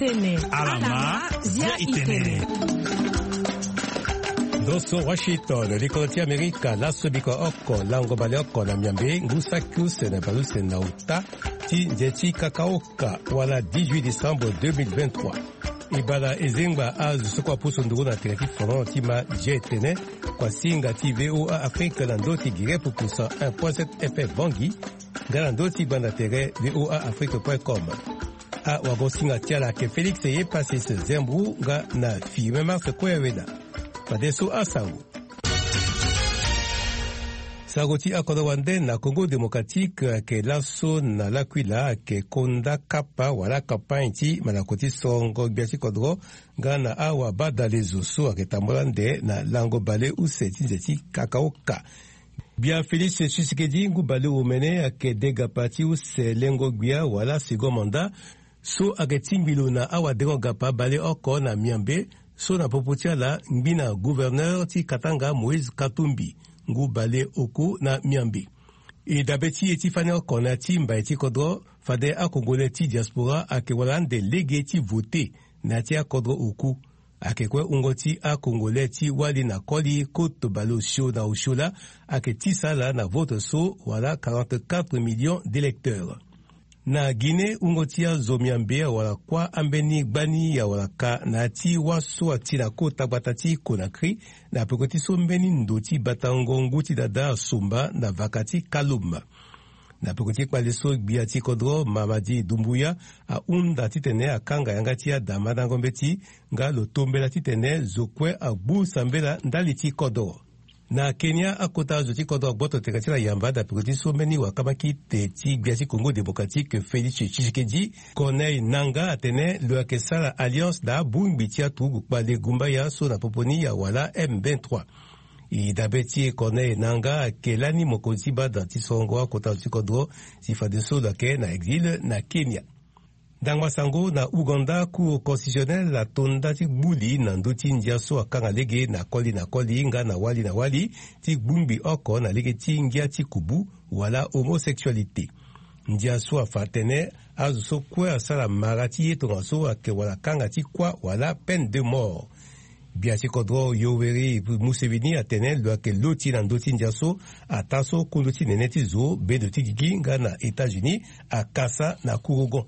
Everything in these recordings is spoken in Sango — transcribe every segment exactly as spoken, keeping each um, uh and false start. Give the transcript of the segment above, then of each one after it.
Ala ma, zia i tene. Ndo so Washington, likolo ti Amerika, laso biko oko, lango baleoko na miambe, ngu saki use na baleuse na uta ti nze ti kakaoka, wala dix-huit décembre deux mille vingt-trois. E bala e zengba azo so kue apusu nduru na tere ti folon ti ma zia e tene, kua singa ti V O A Afrique na ndö ti gere pupu cent un point sept F M Bangui, nga na ndö ti gbanda tere V O A Afrique point com. Awagosinga ti ala ayeke Félix Yepasis Zembou nga na Firmin Mars Koyawela. Fadeso asango. Sango ti akodro wande na Congo Démocratique ayeke laso na L'Aquila ayeke konda kapa wala campagne ti malako ti sorongo gbia ti kodro nga na awabadalezo so ayeke tambula ande na lango bale use ti nze ti kakaoka. Gbia Félix Tshisekedi ngu baleomene ayeke degapa ti use lengo gbia wala second mandat so ayeke tingbi lo na awadengo gapa baleoko na miambe, so na popo ti ala ngbi na gouverneur ti Katanga Moïse Katumbi ngu baleoku na miambe. E dabe ti e ti fani oko na ya ti mbai ti kodro, fade akongole ti diaspora ayeke wara ande lege ti vote na ya ti akodro oku. Ayeke kue wungo ti akongole ti wali na koli koto baleosio na osio laa ayeke tisa ala na vote so wala quarante-quatre millions d'électeurs. Na Guinée, wungo ti azo miambe awara kuâ ambeni gbani awara ka na ya ti wâ so ati na kota gbata ti Conakry, na peko ti so mbeni ndo ti batango ngu ti dada asomba na vaka ti Kaloum. Na peko ti kpale so, gbia ti kodro Mamadi Doumbouya ahunda titene akanga yanga ti adamandango mbeti, nga lo tombela titene zo kue agbu sambela ndali ti kodro. Na Kenya, akota zo ti kodro agboto tere ti ala yamba na peko ti so mbeni wakamaki te ti gbia ti Congo Démocratique Félix Tshisekedi. Corneille Nangaa atene lo yeke sara alliance na abongbi ti aturugu kpale gumbaya so na popo ni awala M vingt-trois. E dabe ti e, Corneille Nangaa ayeke lani mokonzi ti bada ti sorongo akota zo ti kodro, si fadeso lo yeke na exil na Kenya. Ndangba sango na Ouganda, Cour constitutionnelle ato nda ti gbuli na ndö ti ndia so akanga lege na koli na koli nga na wali na wali ti gbungbi oko na lege ti ngia ti kubu wala homosexualité. Ndia so afa atene azo so kue asara mara ti ye tongaso ayeke wala kanga ti kuâ wala peine de mort. Gbia ti kodro Yoweri Museveni atene lo yeke loti na ndö ti ndia so ataa so kundu ti nene ti zo, bendo ti gigi nga na États-Unis akasa na kurugon.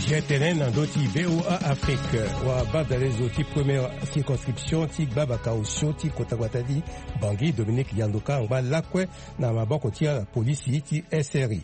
Zia e tene na ndö ti V O A Afrique, wabadalezo ti première circonscription ti gbabaka osio ti kota gbata ti Bangui, Dominique Yandoka angba lakue na maboko ti ala polisi ti S R I.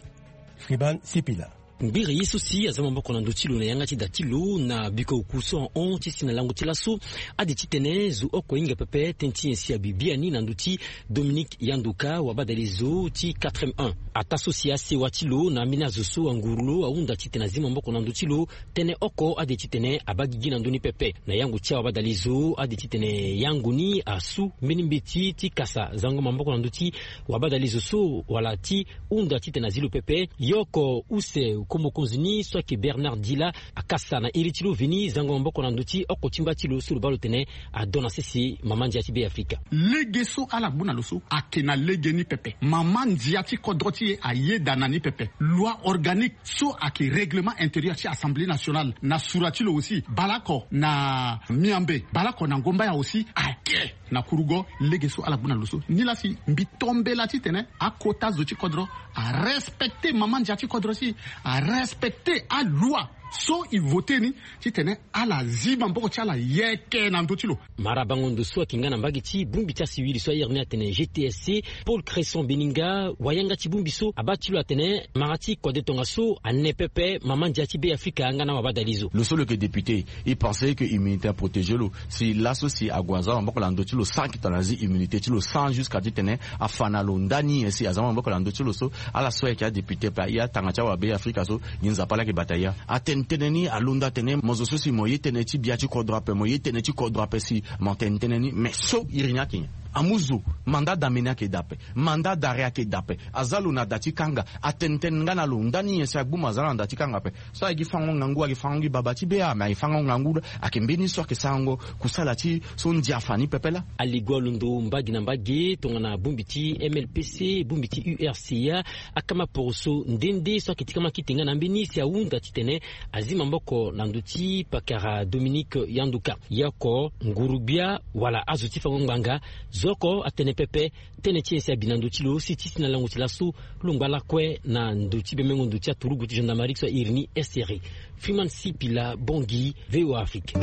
Friban Sipila. Ngbere ye so si aza maboko na ndo ti lo na yanga ti da ti lo na biko oku so ahon ti si na lango ti laso, ade titene zo oko hinga pepe tënë ti nyen si abi biani na ndö ti Dominique Yandoka, wabadalezo ti quatre M un. Ataa so si asewa ti lo na ambeni azo so anguru lo ahunda titene azi maboko na ndö ti lo, tënë oko ade titene abaa gigi na ndö ni pepe. Na yango ti awabadalezo, ade titene yango ni asu mbeni mbeti ti kasa zango maboko na ndö ti wabadalezo so wala ti hunda titene azi lo pepe. Ye oko use ko mokonzi ni so ayeke Bernard Dila akasa na iri ti lo veni zango maboko na ndö ti oko ti mba ti lo so lo baa lo tene adon na sese mama ndia ti Be Afrika. Lege so ala gbu na lo so ayeke na lege ni pepe. Mama ndia ti kodro ti e ayeda na ni pepe. Loi organique so ayeke règlement intérieur ti Assemblée nationale na sura ti lo aussi, baleoko na miambe, baleoko na ngombaya aussi ayeke na kurugo. Lege so ala gbu na lo so, nilaa si mbi tombela titene akota zo ti kodro arespecte mama ndia ti kodro si arespecte aloi so e vote ni, titene ala zi maboko ti ala yeke na ndö ti lo. Mara bango ndo so ayeke nga na mbage ti bongbi ti asiwili so airi ni atene G T S C, Paul Cresson Beninga, wayanga ti bongbi so abaa ti lo atene mara ti kode tongaso ane pepe mama ndia ti Be Afrika nga na wabadalezo. Lo so lo yeke député, e pense que immunité aprotégé lo. Si laso si ague aza maboko na ndö ti lo sans que tongana azi immunité ti lo, sans jusqu'à titene afa na lo ndani nyen si aza maboko na ndö ti lo so, ala so ayeke adéputé pe aye atanga ti awabe Afrika so, gi Nzapa laa ayeke bata ya. Atene tënë ni alondo atene mo zo so si mo ye tënë ti bia ti kodro ape, mo ye tënë ti kodro ape si mo tene tënë ni, mais so iri ni ayeke nyen? Amu zo, mandat d'amener ayeke daa ape, mandat d'arrêt ayeke daa ape. Aza lo na da ti kanga, atene tënë nga na lo ndani nyen si agbu mo aza na da ti kanga ape. So ayeke gi fango ngangu, ayeke fango gi baba ti bea, me ayeke fango ngangu. Ayeke mbeni so ayeke sarango kusala ti so ndia fa ni pepe laa. Aligo alondo mbage na mbage tongana bongbi ti M L P C, bongbi ti U R C A, akama poroso nde nde so ayeke ti kama kite nga na ambeni si ahunda titene azi maboko na ndö ti pakara Dominique Yanduka. Ye oko nguru-gbia wala azo ti fango ngbanga, zo oko atene pepe tënë ti nyen si abi na ndö ti lo si ti si na lango ti laso lo ngba lakue na ndö ti bemengo ndo ti aturugu ti gendarmerie so airi ni S R I. Freeman Sipila Bongi, V O A Afrique. E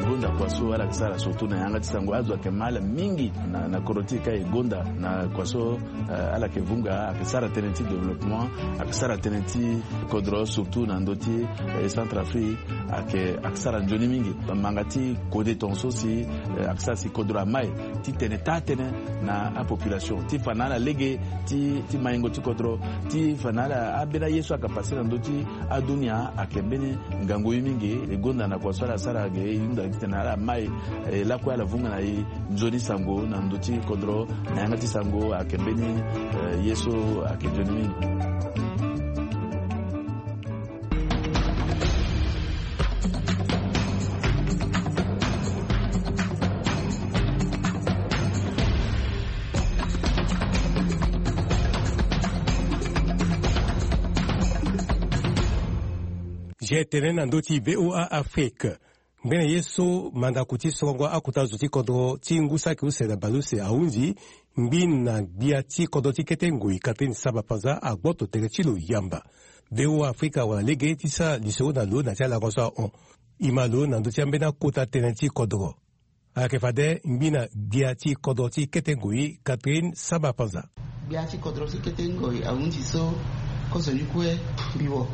gonda kua so ala yeke sara surtout na yanga ti sango, azo ayeke ma ala mingi na, na kodro ti e ka e gonda na kua so, eh, ala yeke vunga, ayeke sara tënë ti développement, ayeke sara tënë ti kodro surtout na ndö ti, eh, Centrafrique, ayeke, ayeke sara nzoni mingi. Manga ti kode tongaso si, eh, ayeke sara si kodro amai ti tene taa tënë na apopulation ti fa na ala lege ti, ti maingo ti kodro, ti fa na ala ambeni aye so ayeke pase na ndö ti adunia ayeke mbeni ngangu ye mingi. E gonda na kua so ala sara ge e hunda titene ala mai, eh, lakue ala vunga na e nzoni sango na ndö ti kodro na yanga ti sango ayeke mbeni, eh, ye so ayeke nzoni mingi. G T N na ndö ti V O A Afrique. Ngbene ye so mandako ti sorongo akota zo ti kodro ti ngu saki use na baleuse ahunzi ngbi na gbia ti kodro ti kete ngoi Catherine Samba Panza agboto tere ti lo yamba. V O A Afrika wara lege ti sara lisoro na lo na ti alango so ahon. E ma lo na ndö ti ambeni akota tënë ti kodro. Ayeke fade ngbi na gbia ti kodro ti kete ngoi Catherine Samba Panza. Gbia ti kodro ti kete ngoi ahunzi so, kozoni kue mbi wo.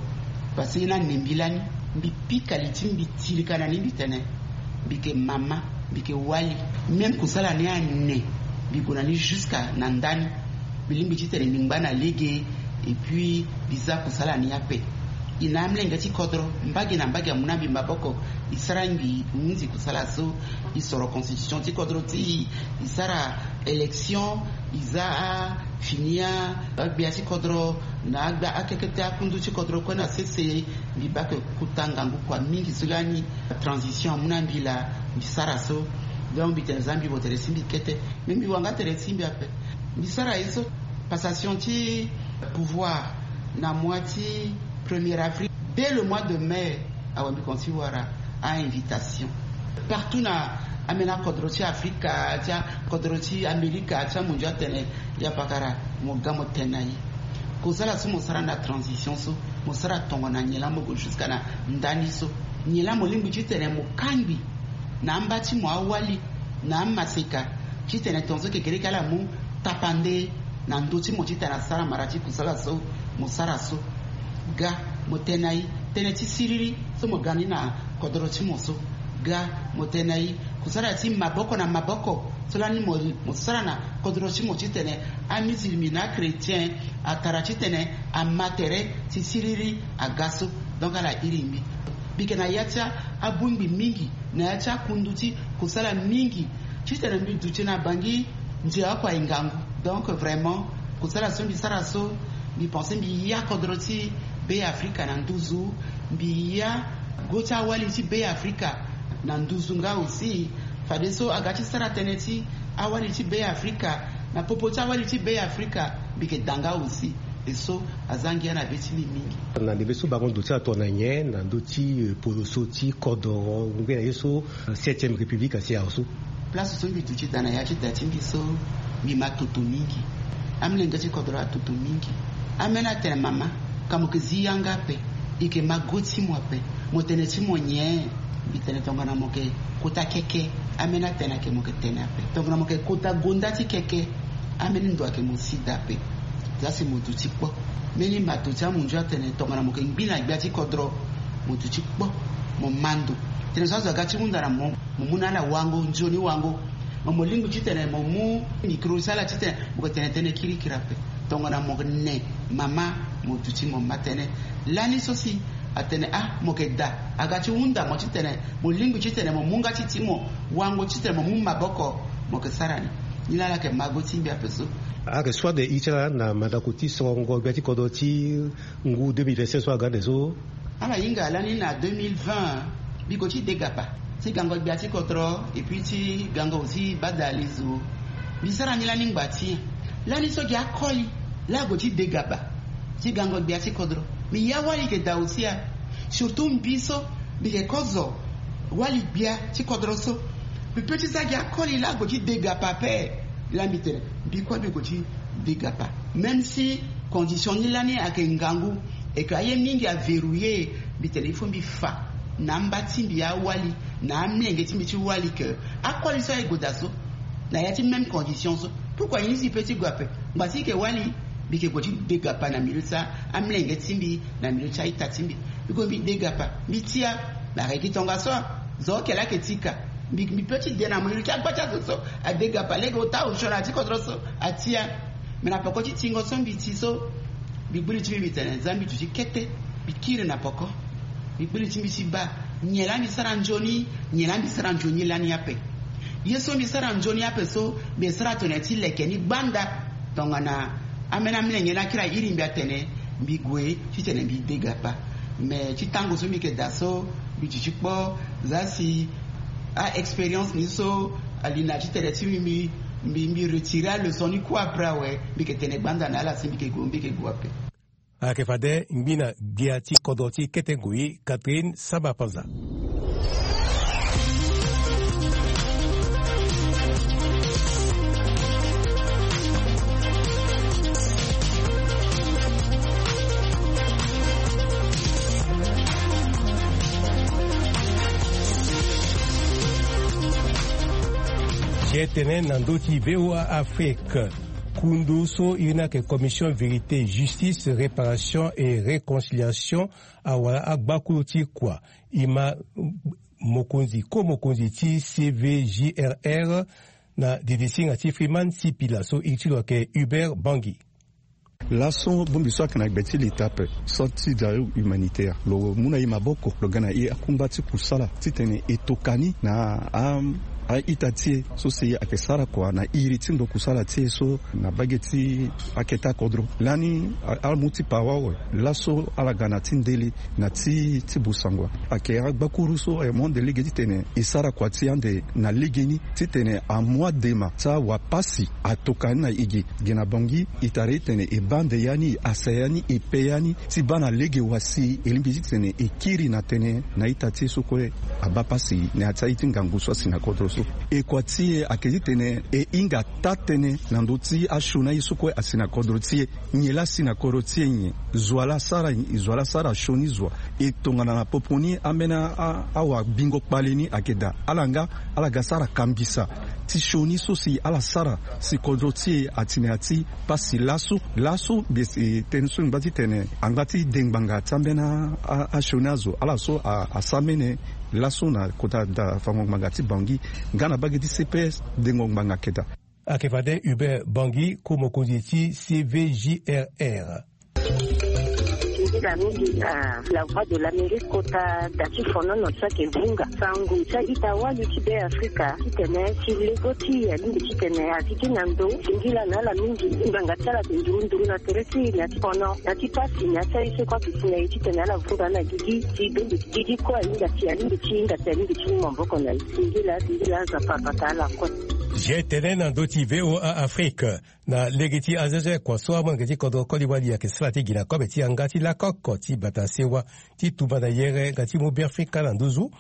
Parce que na ne mbi lani, mbi pika li ti mbi tirika na ni mbi tene mbi yeke mama, mbi yeke wali. Même kusala ni ane, mbi gue na ni jusqu'à na ndani. Mbi lingbi titene mbi ngba na lege, et puis mbi za kusala ni ape. E na amolenge ti kodro, mbage na mbage amu na mbi maboko, e sara ngbii, e hunzi kusala so, e soro constitution ti kodro ti e, e sara élection, e za afini a, agbia ti kodro, na agba akekete akundu ti kodro kue na sese. Mbi baa ke kota ngangu kua mingi so lani transition amu na mbi laa, mbi sara so. Donc mbi tene za mbi wo tere ti mbi kete. Mais mbi wanga tere ti mbi ape. Mbi sara ye so, passation ti pouvoir na mois ti premier avril. Dès le mois de mai, awe mbi kono ti wara a-invitation partout na ambeni akodro ti Afrika, ti akodro ti Amerika, ti amondio atene, ya pakara, mo ga mo tene na e. Kozala so mo sara na transition so, mo sara tongana nyen laa mo gue jusqu'à na ndani so? Nyen laa mo lingbi titene mo kangbi na amba ti mo awali, na amaseka, titene tongaso kekereke ala mu tapande na ndö ti mo titene asara mara ti kusala so mo sara so? Ga mo tene na e. Tënë ti siriri so mo ga ni na kodro ti mo so, ga mo tene na e. Kusala ti maboko na maboko so lani mo, mo sara na kodro ti mo titene amusulmi na achrétien atara titene ama tere ti siriri aga so. Donc ala iri mbi. Mbi yeke na ya ti abongbi mingi, na ya ti akundu ti kusala mingi, titene mbi duti na bangi ndia oko aye ngangu. Donc vraiment, kusala so mbi sara so, mbi pense mbi ya kodro ti Be Afrika na nduzu, mbi ya go ti awali ti Be Afrika na nduzu nga aussi. Fadeso aga ti sara tënë ti awali ti Be Afrika, na popo ti awali ti Be Afrika, mbi yeke da nga aussi. E so aza ngia na be ti mbi mingi. Na ndembe so bango ndo ti atongana nyen na ndö ti, eh, poroso ti kodro ngbene ye so, eh, septième république asi awe so? Place so mbi duti daa na ya ti da ti mbi so, mbi ma toto mingi. Amolenge ti kodro atoto mingi. Ambeni atene mama, ka mo yeke zi yanga ape, e yeke ma go ti mo ape. Mo tene ti mo nyen? Mbi tene tongana mo yeke kota keke. Ambeni atene ayeke mo yeke tene ape. Tongana mo yeke kota gonda ti keke, ambeni ndo ayeke mo si daa ape. Za si mo duti kpo. Mbeni mato ti amunzu atene tongana mo yeke ngbi na gbia ti kodro, mo duti kpo. Mo ma ndo. Tene so azo aga ti hunda na mo, mo mu na ala wango, nzoni wango. Mo, mo lingbi titene mo mu micro ti ala titene mo yeke tene tënë kirikiri ape. Tongana mo yeke ne mama, mo duti mo ma tënë. Lani so si Atene ah, mo yeke daa aga ti hunda mo titene mo lingbi titene mo mu nga ti ti mo wango titene mo mu maboko. Mo yeke sara ni. Ni laa ala yeke mago ti mbi ape so. Ayeke soit de iri ti ala na mandako ti sorongo gbia ti kodro ti ngu deux mille vingt-cinq so aga ande so. Ala hinga lani na deux mille vingt, mbi gue ti degapa ti gango gbia ti kodro epui ti gango aussi bada alezo. Mbi sara ni lani ngba ti nyen? Lani so gi akoli laa ague ti degapa ti gango gbia ti kodro. Mbi ya wali yeke daa aussi a. Surtout mbi so mbi yeke kozo wali gbia ti kodro so. Mbi pe ti za gi akoli laa ague ti degapa ape. Laa mbi tene mbi kue mbi gue ti degapa. Même si condition ni lani ayeke ngangu et que aye mingi averouiller, mbi tene il faut mbi fa na amba ti mbi awali, na amlenge ti mbi ti wali que akoli so aye gue daa so na ya ti même condition so. Pourquoi ye ni si pe ti gue ape? Ngba si yeke wali mbi yeke gue ti degapa na milieu ti amlenge ti mbi, na milieu ti a-ita ti mbi. Mbi gue mbi degapa mbi tia. Na regi tongaso zo oke laa ayeke ti ka. Mbi mbi pe ti de na milieu ti agba ti azo so adegapa lege ota osio na ya ti kodro so atia. Me na poko ti tingo so mbi ti so, mbi gbu li ti mbi mbi tene za mbi duti kete. Mbi kiri na poko. Mbi gbu li ti mbi ti baa nyen laa mbi sara nzoni, nyen laa mbi sara nzoni lani ape. Ye so mbi sara nzoni ape so mbi sara tene ti leke ni gbanda. Tongana ambeni amolenge ni akiri airi mbi atene mbi gue titene mbi degapa. Me ti tango so mbi yeke daa so mbi duti kpo za si a-expérience ni so ali na ti tene ti mbi mbi mbi retire aleçon ni kue après awe. Mbi yeke tene gbanda na ala si mbi yeke gue mbi yeke gue ape. Ayeke fade ngbi na gbia ti kodro ti kete ngoi Catherine Samba Panza. Ye tene na ndö ti VOA Afrique. Kundu so iri ni ayeke Commission Vérité, Justice, Réparation et Réconciliation, awara agbakuru ti kua, e ma mokonzi ko mokonzi ti C V J R R na didisinga ti Freeman Sipila so iri ti lo ayeke Hubert Bangi. Laso bongbi so ayeke na gbe ti leta ape, sorte ti dario humanitaire, lo mu na e maboko lo ga na e akungba ti kusala titene e tokua ni na a a-ita ti e so si ayeke sara kua na iri ti ndo kusala ti e so na mbage ti akete akodro. Lani a- ala mu ti pawa awe. Laso ala ga na ti ndele na ti ti busangua. Ayeke agbakuru so e mu ande lege titene e sara kua ti ande na legeni titene amu adema ti awapasi atokua ni na e gi. Gi na Bangui e tara titene e baa ande ya ni, e asa ya ni, e pe ya ni ti baa na lege wa si e lingbi titene e kiri na tënë na ita ti e so kue abaa pasi na ya ti aye ti ngangu so asi na kodro so. E kua ti e ayeke titene e hinga taa-tënë na ndö ti asioni aye so kue asi na kodro ti e. Nyen laa asi na kodro ti e nyen? Zo wa laa asara nyen? Zo wa laa asara sioni zo wa? E tongana na popo ni ambeni a- a- awabingo kpale ni ayeke daa, ala nga ala ga sara kambisa ti sioni so si ala sara si kodro ti e ati na ya ti pasi laso. Laso mbi si tënë so ngba titene angba ti de ngbanga ti ambeni a- a- asioni azo ala so a- asara mbeni laso na kota da fango ngbanga ti Bangui nga na mbage ti C P S dengo ngbanga ayeke daa. Ayeke fade Hubert Bangui, ko mokonzi ti C V J R R. Singila mingi na La Voix de l'Amérique kota da ti fonono so ayeke vunga sango ti a-ita wali ti Beafrika titene ti lego ti e alingbi titene a zi ti na ndo. Singila na ala mingi ngbanga ti ala ayeke nduru nduru na tere ti e na ti fono na ti pasi na ya ti aye so kue ayeke si na e titene ala vunga na gigi ti bembe ti gigi kue ahinga si alingbi ti hinga si alingbi ti mu maboko na e. Singila singila Nzapa abata ala kue. Ye tene na ndö ti VOA Afrique. Na lege ti azo azo kua so amolenge ti kodro koli wali ayeke sara ti gi na kobe ti yanga ti lakoko ti bata sewa ti tumba na yere nga ti mu Beafrika na nduzu.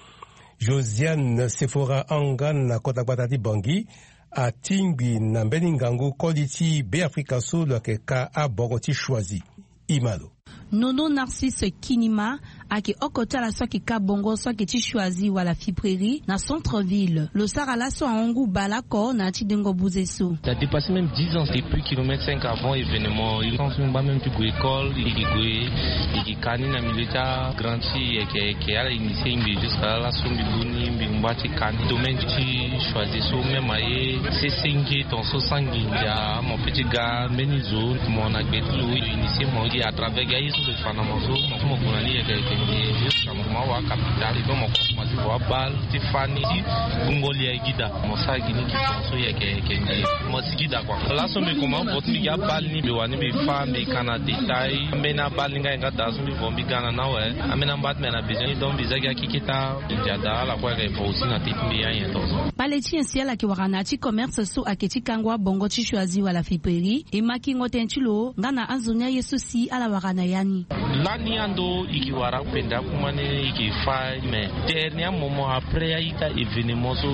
Josiane Sephora Angan na kota gbata ti Bangui atingbi na mbeni ngangu koli ti Beafrika so lo yeke ka abongo ti Choisy. E ma lo. Nono Narcisse Kinima ayeke oko ti ala so ayeke ka bongo so ayeke ti Choisy wala Fiprairie na centre ville. Lo sara laso ahon ngu bale oko na ya ti dengo buze so. Ça a dépassé même dix ans depuis kilomètre cinq avant événement. Il pense même pas même ti gue école, il gue, il Kani na milieu ti agrand ti yeke yeke ala initier mbi jusque là laso mbi lu ni mbi ngba ti kani domaine ti choisi so même aye sese nge ton so sans nginza mo pe ti ga mbeni zo mo na gbe ti lo initier mo gi à travers gi aye so mbi fa na mo so mo gue na ni yeke yeke nge jusque là mo kuma wa capital et donc mo kuma ti vo abal ti fa ni ti bungo lia gi daa mo sara gi ni gi ton so yeke yeke nge mo si gi daa kua laso mbi kuma vo ti mbi gi abal ni mbi wani mbi fa mbi ka na détail mbeni abal ni nga ye nga daa so mbi vo mbi ga na ni awe. Ambeni amba ti mbi na besoin ni donc mbi za gi akeketa. Ndia daa ala kue ayeke vo aussi na te ti mbi anyen tonso. Kpale ti nyen si ala yeke wara na ya ti commerce so ayeke ti kango abongo ti choisi wala fiperi e ma kingo tënë ti lo nga na anzoni aye so si ala wara na ya ni. Lani ando e ke wara pende akuma ni e ke fa mais dernier moment après a-ita événement so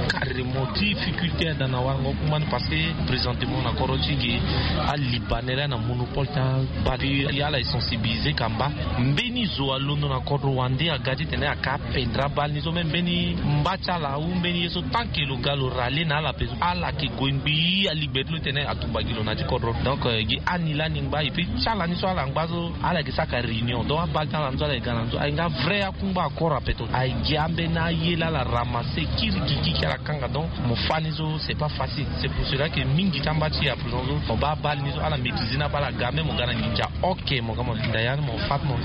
carrément difficulté ada na warango akuma ni parce que présentement na kodro ti e ge alibanais laa na monopole ti abal. Ala e sensibiliser kamba mbeni zo alondo na kodro wande aga titene aka apendre abal ni so même mbeni mba ti ala ou mbeni ye so tant que lo ga lo rale na ala pe so ala ke gue ngbii alingbe ti lo titene atumba gi lo na ya ti kodro donc gi ani lani ngba et puis ti ala ni so ala ngba so ala yeke saka réunion donc abal ti ala ni so ala yeke ga na ni so aye nga vrai akungba akora ape to aye gi ambeni aye laa ala ramasser kiri gigi ki ala kanga donc mo fa ni so c'est pas facile c'est pour cela ke mingi ti amba ti e à présent so mo baa abal ni so ala maîtriser ni abal aga même mo ga na nginza ok mo ga mo linda ya ni mo fa ti mo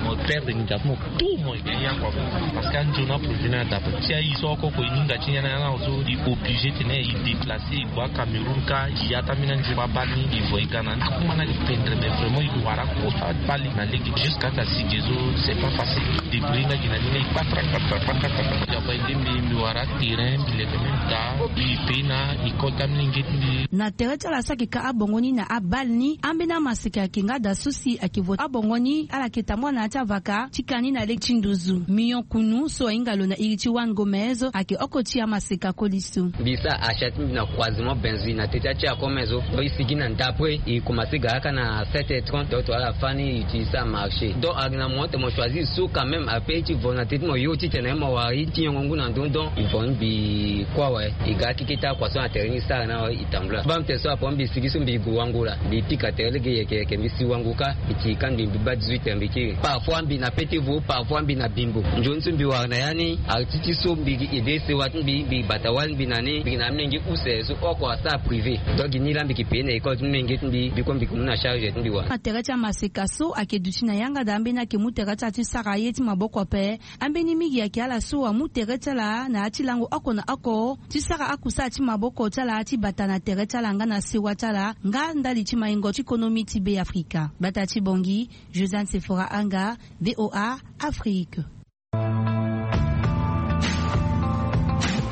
mo perdre nginza ti mo tout mo yeke ya kua parce que anzoni aproduit ni ada ape ti aye so oko ko e hinga ti ni ya ni ala so e obligé tene e déplacer e gue acameroun ka e ya ti ambeni anzoni abal ni e vo e ga na ni akuma ni ayeke pendre mais vraiment e wara kota abal ni na lege jusqu'à ta si ge so c'est pas facile débrouiller nga gi na ni ni e kpatra kpatra kpatra kpatra ya bai nde mbi mbi wara terrain mbi leke même daa mbi pe na école ti ambeni nge ti mbi. Na tere ti ala so ayeke ka abongo ni na abal ni ambeni amaseka ayeke nga daa so si ayeke vo abongo ni ala yeke tambula na ya ti avaka ti ka ni na lege ti nduzu mio kunu so ahinga lo na iri ti wan gomez ayeke oko ti amaseka koli so. Mbi sara achat ti mbi na croisement benzi na te ti atia comme so donc e sigi na ndapre e commencer gara kâ na sept heures trente donc to ala fâ ni e ti sara marché donc ayeke na mo ate mo choisir so quand même après ti vo na te ti mo yo titene mo wara ye ti yongo ngu na ndö donc e vo ni mbi kue awe. E ga akeke ti akua so na tere ni e sara ni awe e tambula baa mbi tene so apo mbi sigi so mbi gue wangu laa mbi pika tere lege yeke yeke mbi si wangu kâ mbi ti ka mbi mbi baa dix-huit heures mbi kiri parfois mbi na pe ti vo parfois mbi na bimbo nzoni so mbi wara na ya ni arti ti so mbi gi ede sewa ti mbi mbi bata wali mbi na ni mbi gi na amenge use so oko asara privé donc gi ni laa mbi ke paye na école ti menge ti mbi mbi kue mbi ke mu na charge ti mbi wara. Na tere ti amaseka so ayeke duti na yanga daa ambeni ayeke mu tere ti ala ti sara ye ti maboko ape. Ambeni mingi ayeke ala so amu tere ti ala na ya ti lango oko na oko ti sara akusala ti maboko ti ala ti bata na tere ti ala nga na sewa ti ala nga ndali ti maingo ti konomi ti be afrika. Gbata ti bongi josiane sefora anga voa afrique.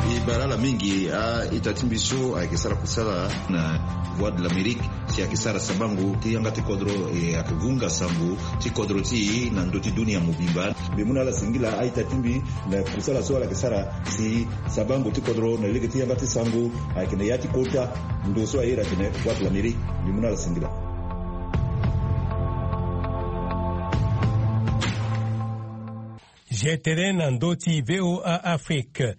E bara ala mingi a-ita ti mbi so ayeke sara kusala na voie de l'amérique si ayeke sara sabango ti yanga ti kodro e ayeke vunga sango ti kodro ti e na ndö ti dunia mobimba. Mbi mu na ala singila a-ita ti mbi na kusala so ala yeke sara si sabango ti kodro na lege ti yanga ti sango ayeke na ya ti kota ndo so aye iri atene voie de l'amérique. Mbi mu na ala singila. Jetele na ndö ti voa afrique.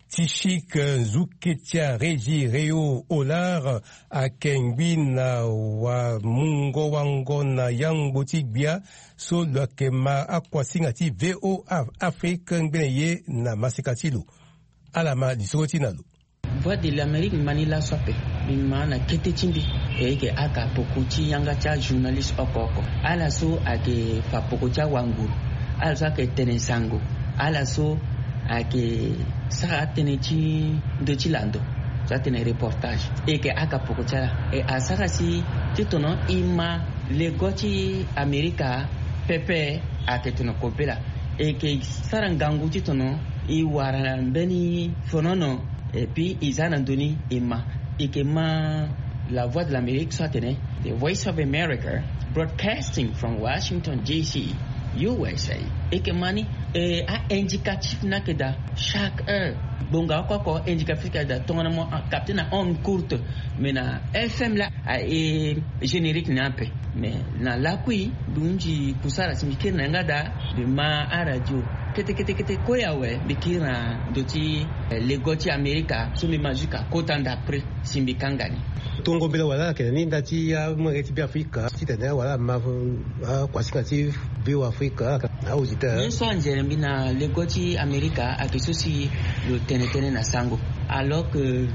Ti chik nzuke ti aregi reo olar akengbi na wamungo wango na yangbo ti gbia so lo yeke ma akuasinga ti voa afrique ngbene ye na masika ti lo. Ala ma lisoro ti na lo. Voie de l'amérique mani laso ape. Mbi ma na kete ti mbi e yeke aka poko ti yanga ti ajournaliste oko oko ala so ayeke fa poko ti awanguru ala so ayeke tene sango ala so ayeke sara atënë ti ndö ti lando so atene reportage e yeke aka poko ti ala e asara si ti tono e ma lego ti amerika pepe ayeke tono kobela e yeke sara ngangu ti tono e wara mbeni fonono. Et puis e za na ndö ni e ma e yeke ma la voix de l'amérique so atene the voice of america broadcasting from washington dc usa. E yeke ma ni e a-indicatif ni ayeke daa chaque heure. Bonga oko oko, indicatrice ka da tongana mo a capte na onde courte. Mais na FM la a e générique ni ape. Mais na lakui mbi hunzi kusara si mbi kiri na yanga da. Mbi ma aradio kete kete kete kue awe, mbi kiri na ndo ti lego ti Amerika so mbi ma jusqu'à kota ndapre si mbi kanga ni. Tongo mbela wala ayeke na ni nda ti amolenge ti Beafrika titene wala ama akuasinga ti Beafrika. Auditeur, ye so anzere mbi na lego ti Amerika ayeke so si lo tene tënë na sango. Alors que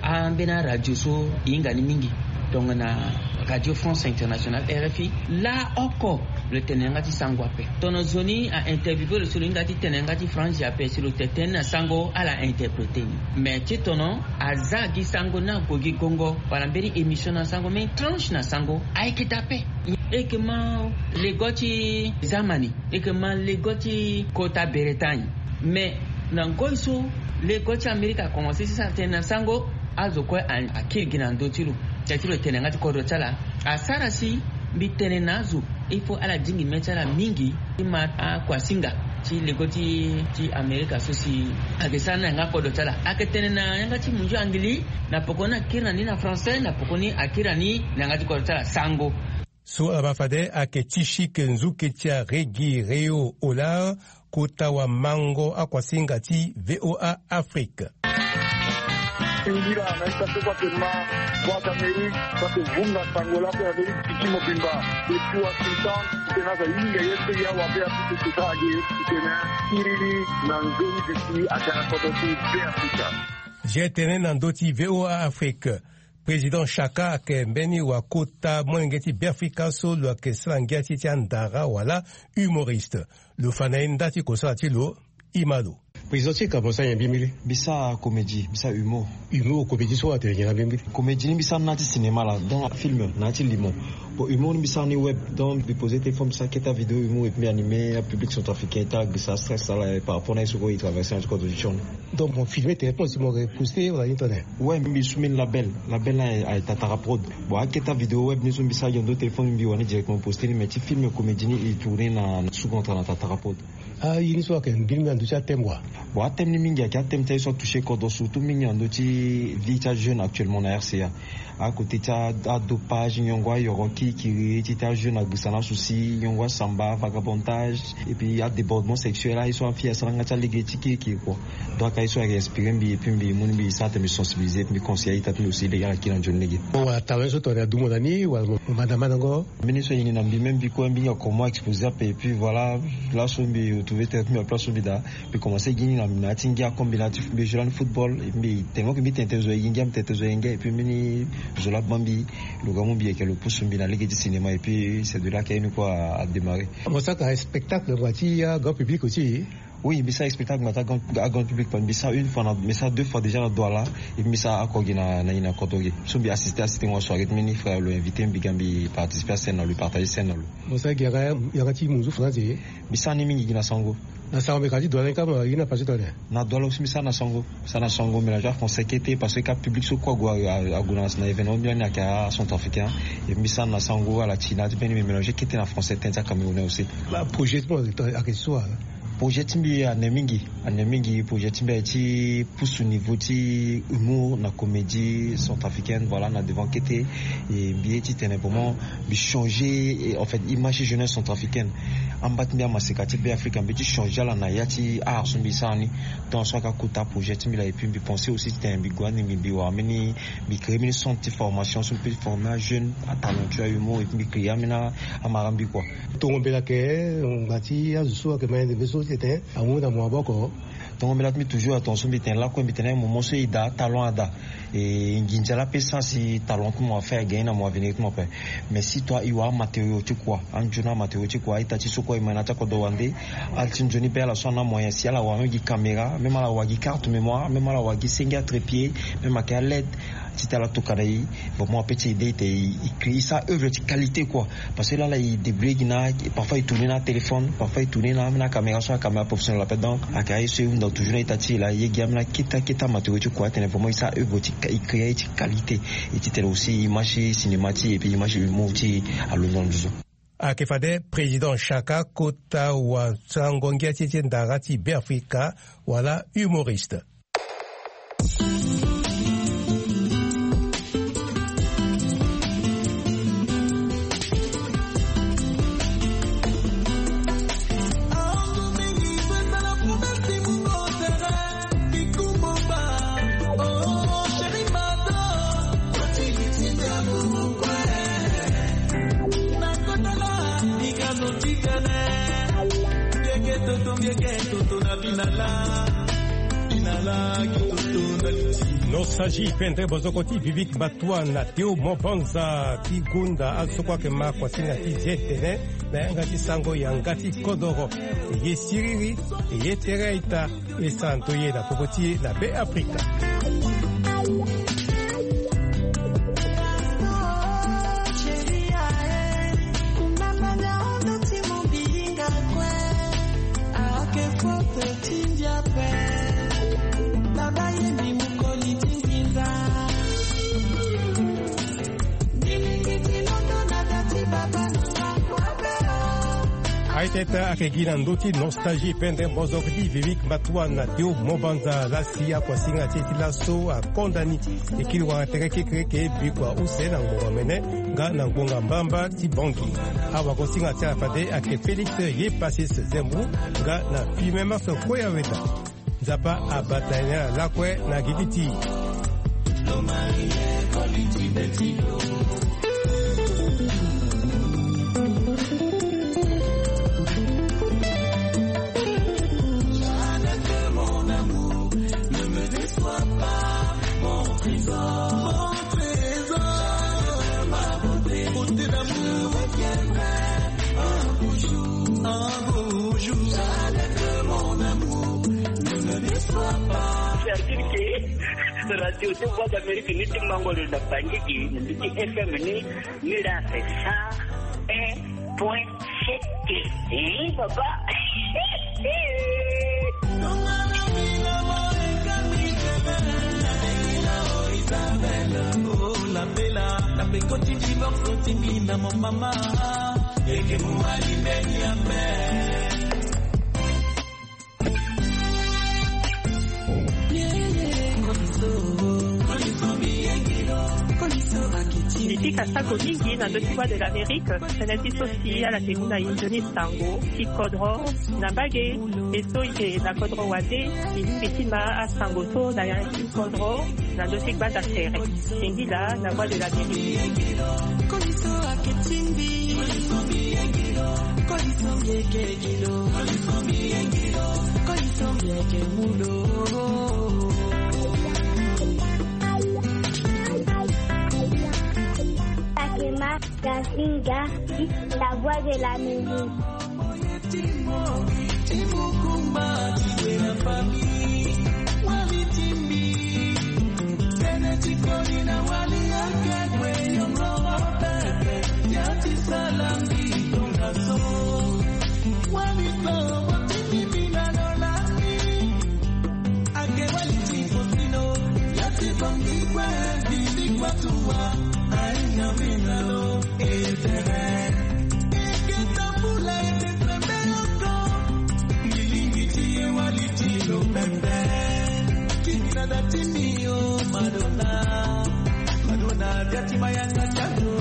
ambeni aradio so e hinga ni mingi, tongana Radio France Internationale, RFI, laa oko lo tene na yanga ti sango ape. Tono zo ni a interviewe lo si lo hinga ti tene na yanga ti franzi ape si lo tene tënë na sango ala interprete ni. Mais ti tono aza gi sango ni ague gi gongo wala mbeni émission na sango, mbeni tranche na sango ayeke dape. E yeke ma lego ti Zamani, e yeke ma lego ti kota Bretagne. Mais na ngoi so lego ti Amerika akomanse ti sara tënë na sango, azo kue a- akiri gi na ndö ti lo. Tia ti lo tene na yanga ti kodro ti ala asara si mbi tene na azo. Il faut ala dingi mê ti ala mingi ti ma akuasinga ti lego ti ti Amerika so si ayeke sara ni na yanga kodro ti ala. Ayeke tene na yanga ti munzu angili, na poko ni akiri na ni na français, na poko ni akiri na ni na yanga ti kodro ti ala sango. So ala baa fade ayeke ti sike nzuke ti aregi Réo Olar, kota wamango akuasinga ti VOA Afrique. Singira na ita so kue atene ma Voix d'Amérique, so ake vunga sango lako ya Amérique titi mobimba. Depuis Washington, tena za yinga ye se ya wa be apupu kuta age, tena kiriri na nzoni bisi atena kodo ti be aputa. Je tene na ndö ti VOA Afrique. Président Chaka ayeke mbeni wakota molenge ti Beafrika so lo yeke sara ngia ti ti andara wala humoriste. Lo fa na ye nda ti kosala ti lo. Imalo. Président Chaka, mo sara nyen mbi mbili? Mbi sara comédie, mbi sara humour. Humour, comédie so atene nyen na mbi mbili? Comédie ni mbi sara na ti cinéma la, donc film na ti limo. Bon, humour ni mbi sara ni web, donc mbi pose téléphone, mbi sara keta vidéo humour et puis animé public centrafricain ti agrisa stress ala par rapport na ye so ko e traverser na ti contribution. Donc mo filme téléphone si mo reposte wala ni tone? Ouais, mbi su mbeni label, label na aye Tatara Prod. Bon, aketa vidéo web ni so mbi sara gi na ndo téléphone, mbi wani directement poste ni, mais ti film comédie ni e tourne na sous contrat na Tatara Prod. Ah, ye ni so ayeke mbeni na ndö ti athème wa? Bon, athème ni mingi ayeke athème ti aye so atouche kodro, surtout mingi na ndö ti vie ti ajeune actuellement na RCA. Akote ti adopage, nyongo ayoro kirikiri ti ti ajeune agrisa na souci, nyongo asamba, vagabondage, et puis adébordement sexuel, aye so afille asara nga ti alege ti kirikiri kua. Donc aye so ayeke inspiré mbi et puis mbi mu ni mbi sara tene mbi sensibiliser et puis mbi conseiller aita ti mbi aussi lege ala kiri na nzoni lege. Bon, wala talent so tongana adumo na ni wala mo manda mandango? Mbeni so e ni na mbi même mbi kue mbi hinga comment exposer ape et puis voilà. Laso mbi retrouver tene mbi na place so mbi daa. Mbi commencé gi ni na ya ti ngia comme mbi na ti mbi joue lani football, mbi tene mo ke mbi tene tene zo aye gi ngia, mbi tene tene zo aye ngia et puis mbeni zo laa baa mbi lo ga mu mbi yeke lo pusu mbi na lege ti cinéma et puis c'est de là que ni kue a démarré. Mo saka spectacle ngbanga ti grand public aussi? Oui, mbi sara spectacle ngbanga ti grand public, mbi sara une fois na mbi sara deux fois déjà na Douala. Et puis mbi sara oko gi na na kodro gi so mbi assisté assisté ngo soirée ti mbeni frère lo invité mbi ga mbi participé à scène na lo, partager scène na lo. Mo sara gi yanga ti munzu français? Mbi sara ni mingi gi na sango. Na sango mbi ka ti Douala ni kama, ye na pase tone? Na Douala aussi mbi sara na sango. Mbi sara na sango mélange français kete parce que ka public so kue ague ague na événement mbi lani ayeke acentrafricain. Et mbi sara na sango ala ti na ti mbeni mbi mélange kete na français tënë ti acamerounais aussi. Projet ti mo ayeke so wala? Projet ti mbi ane mingi, ane mingi. Projet ti mbi aye ti pusu niveau ti humour na comédie centrafricaine, voilà, na devant kete. Et mbi ye ti tene vraiment mbi changer en fait image ti jeunesse centrafricaine. Amba ti mbi amaseka ti Beafrika mbi ye ti changer ala na ya ti art so mbi sara ni. Tant so ayeke akota projet ti mbi laa et puis mbi pensé aussi ti tene mbi gue ande mbi mbi wara mbeni mbi créer mbeni centre ti formation so mbi peut ti former ajeune atalentueux ahumour et puis mbi créer ambeni amara mbi kua. Tongo mbela ayeke ngbanga ti azo so ayeke ma yende mbe so ti tene amu na mo maboko. Tongo mbela ti mbi toujours atonga so mbi tene lakue mbi tene moment so e daa talent ada. E nginza laa pe sara si talent ti mo afaire gagner na mo avenir ti mo ape. Mais si toi e wara amatériau ti kua, anzoni amatériau ti kua, aita ti so kue e ma na ti akodro wande. Ala ti nzoni be ala so ana amoyen si ala wara même gi caméra, même ala wara gi carte mémoire, même ala wara gi senge atrépied, même ayeke aled. Ti tene ala tokua na e. Vraiment ape ti ede e tene e créer e sara œuvre ti qualité kua. Parce que lala e débrouiller gi na parfois e tourner na atéléphone, parfois e tourner na ambeni acaméra so acaméra professionnel ape. Donc ayeke aye so e hunda toujours na ita ti e laa e ye gi ambeni akete akete amatériau ti kua atene vraiment e sara œuvre ti e créer aye ti qualité. E ti tene aussi image ti cinéma ti e et puis image ti humour ti e alondo na nduzu. Ayeke fade président Chaka kota wasango ngia ti e ti ndara ti Beafrika wala humoriste. Nostalgie pendre bozoko ti Vivic Batoua na Théo Mobanza ti gonda azo so kue ayeke ma kuasinga ti zi tene na yanga ti sango yanga ti kodoro. E ye siriri, e ye tere a-ita, e santo ye na popo ti e na Be Afrika. Aye tete ayeke gi na ndö ti Nostalgie pendre mbozo ti Vivic Batoua na Théo Mobanza. Laa si akuasinga ti e ti laso akonda ni. E kiri wara tere kekereke bikua use na ngbonga mene nga na ngbonga mbamba ti Bangui. Awagosinga ti ala fade ayeke Félix Yepasis Zembou nga na Fimemas Koyaweda. Nzapa abata ye na ala lakue na gigi ti e. C'est-à-dire que radio de Voix d'Amérique ni ti mango lo na Bangui, ni ti F M ni, ni la c'est cent un point sept. Eh, papa. Oh, la bella, na pekoti divorce ti mina mon mama. Eke mumali meni ambe. Mbi pika sako mingi na ndö ti Voix de l'Amérique, tënë ti so si ala yeke mu na e nzoni sango ti kodro na mbage. E so e yeke na kodro wande, e lingbi ti ma asango so na ya ti kodro na ndö ti gbanda tere. Singila na Voix de l'Amérique. Koliso ake tingbi. Koliso mbi eke gilo. Koliso mbi eke mulo. Takema Gasinga, la Voix de l'Amérique. Madonna, Madonna, biatima yanga tiago.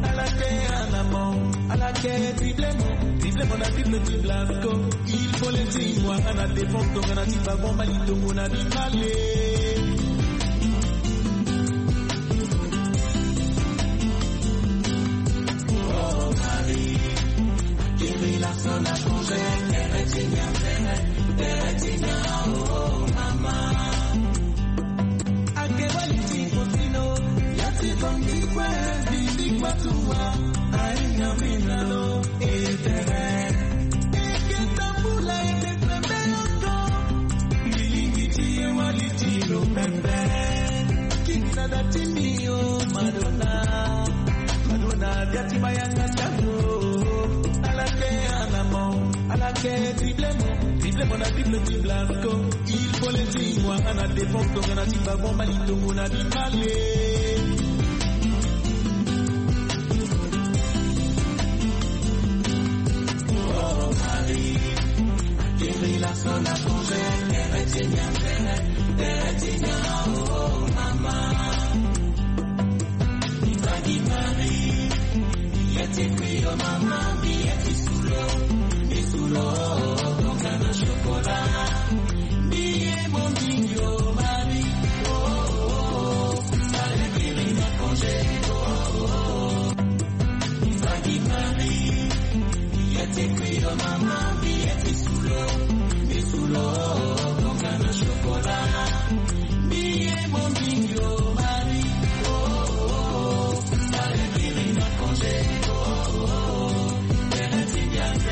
Ala ke anamo, ala ke triplemo, triplemo na triple ti Blasco. Il faut les dire, moi, à la défense, donc, on a dit, pas bon, mal, il tombe, on a dit, allez. Madonna, Madonna, biatima yanga tiago. Ala ke anamo, ala ke triplemo, triplemo na triple ti Blasco. Il faut les dire, moi, à la défense, donc, on a dit, pas bon, mal, il tombe, on a dit, allez.